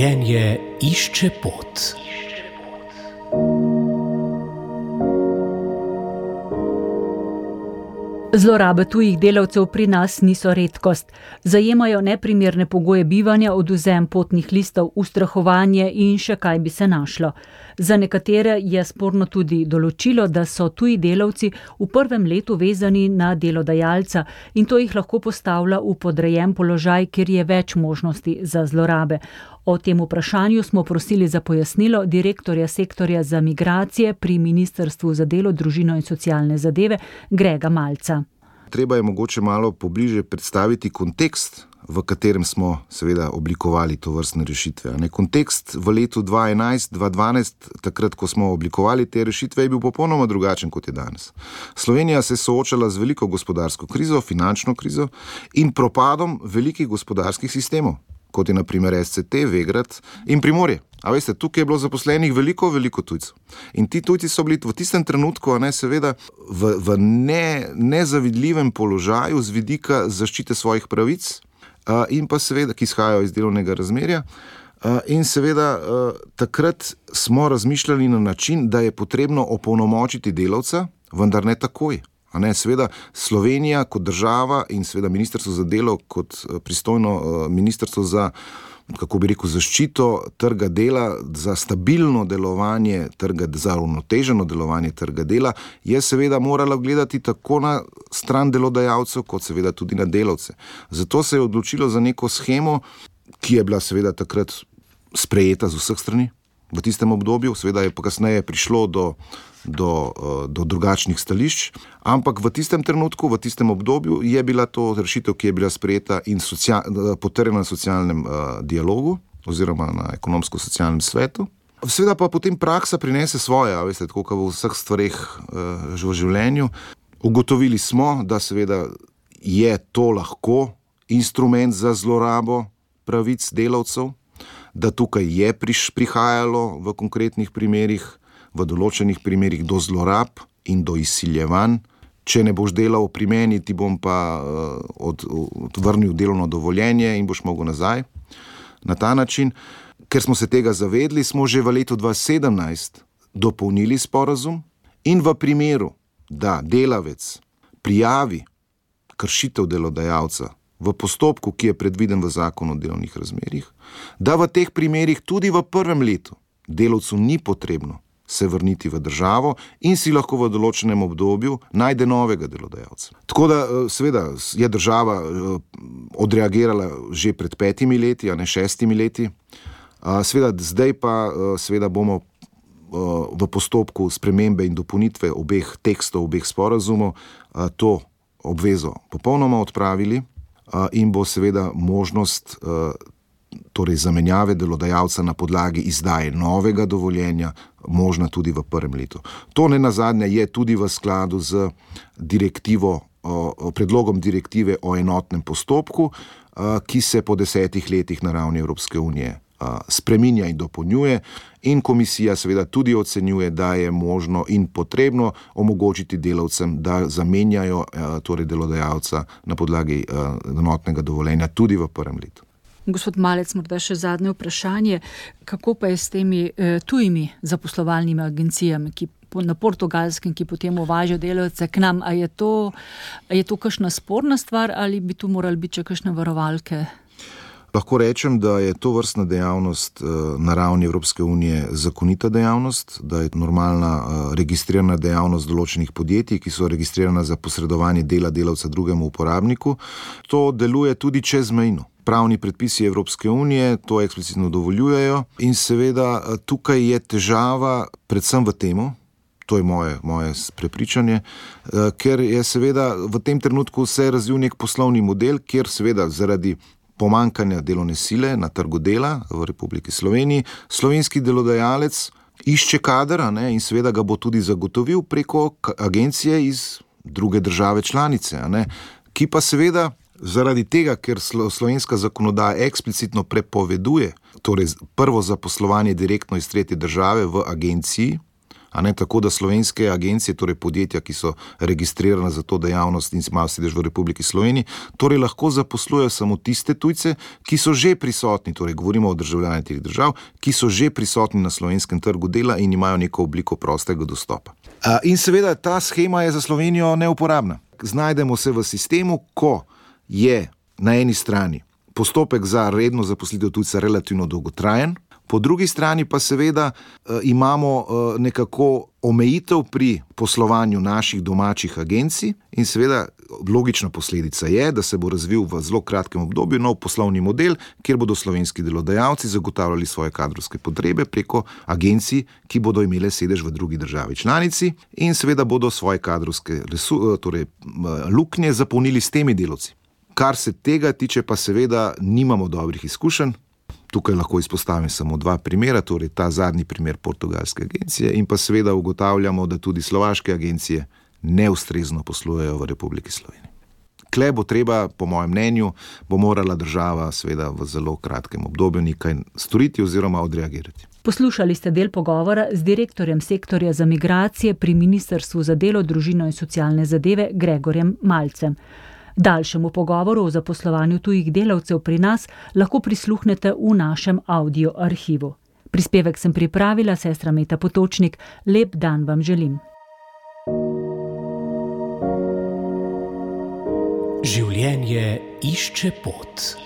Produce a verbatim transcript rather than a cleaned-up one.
Življenje išče pot. Zlorabe tujih delavcev pri nas niso redkost. Zajemajo neprimerne pogoje bivanja, odvzem potnih listov, ustrahovanje in še kaj bi se našlo. Za nekatere je sporno tudi določilo, da so tuji delavci v prvem letu vezani na delodajalca in to jih lahko postavlja v podrejen položaj, kjer je več možnosti za zlorabe. O tem vprašanju smo prosili za pojasnilo direktorja sektorja za migracije pri Ministrstvu za delo, družino in socialne zadeve Grega Malca. Treba je mogoče malo pobliže predstaviti kontekst, v katerem smo seveda oblikovali to vrstne rešitve. Ne, kontekst v letu dva tisoč enajst dva tisoč dvanajst, takrat, ko smo oblikovali te rešitve, je bil popolnoma drugačen, kot je danes. Slovenija se je soočala z veliko gospodarsko krizo, finančno krizo in propadom velikih gospodarskih sistemov, kot je na primer S C T, Vegrad in Primorje. A veste, tukaj je bilo zaposlenih veliko, veliko tujcev. In ti tujci so bili v tistem trenutku, a ne, seveda, v, v ne, nezavidljivem položaju z vidika zaščite svojih pravic a, in pa seveda, ki izhajajo iz delovnega razmerja. A, in seveda, a, takrat smo razmišljali na način, da je potrebno opolnomočiti delavca, vendar ne takoj. A ne, seveda, Slovenija kot država in seveda Ministrstvo za delo kot pristojno ministrstvo za, kako bi rekel, zaščito trga dela, za stabilno delovanje trga, za uravnoteženo delovanje trga dela, je seveda morala gledati tako na stran delodajalcev, kot seveda tudi na delavce. Zato se je odločilo za neko shemo, ki je bila seveda takrat sprejeta z vseh strani v tistem obdobju, seveda je pa kasneje prišlo do Do, do drugačnih stališč, ampak v tistem trenutku, v tistem obdobju je bila to rešitev, ki je bila sprejeta in social, potrjena na socialnem uh, dialogu oziroma na ekonomsko-socialnem svetu. Seveda pa potem praksa prinese svoje, veste, tako kot v vseh stvareh uh, v življenju. Ugotovili smo, da seveda je to lahko instrument za zlorabo pravic delavcev, da tukaj je priš, prihajalo v konkretnih primerih v določenih primerih do zlorab in do izsiljevanj. Če ne boš delal pri meni, ti bom pa uh, od, odvrnil delovno dovoljenje in boš mogel nazaj. Na ta način, ker smo se tega zavedli, smo že v letu dva tisoč sedemnajst dopolnili sporazum in v primeru, da delavec prijavi kršitev delodajalca v postopku, ki je predviden v zakonu o delovnih razmerjih, da v teh primerih tudi v prvem letu delavcu ni potrebno se vrniti v državo in si lahko v določenem obdobju najde novega delodajalca. Tako da seveda je država odreagirala že pred petimi leti, a ne šestimi leti. Seveda zdaj pa seveda bomo v postopku spremembe in dopolnitve obeh tekstov, obeh sporazumov to obvezo popolnoma odpravili in bo seveda možnost torej zamenjave delodajalca na podlagi izdaje novega dovoljenja možna tudi v prvem letu. To ne nazadnje je tudi v skladu z direktivo, o, predlogom direktive o enotnem postopku, ki se po desetih letih na ravni Evropske unije spreminja in dopolnjuje in komisija seveda tudi ocenjuje, da je možno in potrebno omogočiti delavcem, da zamenjajo torej delodajalca na podlagi enotnega dovoljenja tudi v prvem letu. Gospod Malec, morda še zadnje vprašanje. Kako pa je s temi eh, tujimi zaposlovalnimi agencijami, ki na Portugalskem, ki potem uvažajo delavce k nam? A je to, a je to kakšna sporna stvar ali bi tu morali biti še kakšne varovalke? Lahko rečem, da je to vrstna dejavnost na ravni Evropske unije zakonita dejavnost, da je normalna registrirana dejavnost določenih podjetij, ki so registrirana za posredovanje dela delavca drugemu uporabniku. To deluje tudi čezmejno. Pravni predpisi Evropske unije to eksplicitno dovoljujejo in seveda tukaj je težava predvsem v temu, to je moje, moje prepričanje, ker je seveda v tem trenutku se razvil nek poslovni model, kjer seveda zaradi pomankanja delovne sile na trgu dela v Republiki Sloveniji slovenski delodajalec išče kader, a ne, in seveda ga bo tudi zagotovil preko agencije iz druge države članice, a ne, ki pa seveda zaradi tega, ker slovenska zakonodaja eksplicitno prepoveduje, torej prvo zaposlovanje direktno iz tretje države v agenciji, A ne, tako da slovenske agencije, torej podjetja, ki so registrirane za to dejavnost in imajo sedež v Republiki Sloveniji, torej lahko zaposlujejo samo tiste tujce, ki so že prisotni, torej govorimo o državljanih teh držav, ki so že prisotni na slovenskem trgu dela in imajo neko obliko prostega dostopa. In seveda ta shema je za Slovenijo neuporabna. Znajdemo se v sistemu, ko je na eni strani postopek za redno zaposlitev tujca relativno dolgotrajen, po drugi strani pa seveda eh, imamo eh, nekako omejitev pri poslovanju naših domačih agencij in seveda logična posledica je, da se bo razvil v zelo kratkem obdobju nov poslovni model, kjer bodo slovenski delodajalci zagotavljali svoje kadrovske potrebe preko agencij, ki bodo imele sedež v drugi državi članici in seveda bodo svoje kadrovske resu, torej, luknje zapolnili s temi delavci. Kar se tega tiče, pa seveda nimamo dobrih izkušenj. Tukaj lahko izpostavim samo dva primera, torej ta zadnji primer portugalske agencije in pa seveda ugotavljamo, da tudi slovaške agencije neustrezno poslujejo v Republiki Sloveniji. Kle bo treba, po mojem mnenju, bo morala država seveda v zelo kratkem obdobju nekaj storiti oziroma odreagirati. Poslušali ste del pogovora z direktorjem sektorja za migracije pri Ministrstvu za delo, družino in socialne zadeve Gregorjem Malcem. Daljšemu pogovoru o zaposlovanju tujih delavcev pri nas lahko prisluhnete v našem audio arhivu. Prispevek sem pripravila sestra Meta Potočnik. Lep dan vam želim. Življenje išče pot.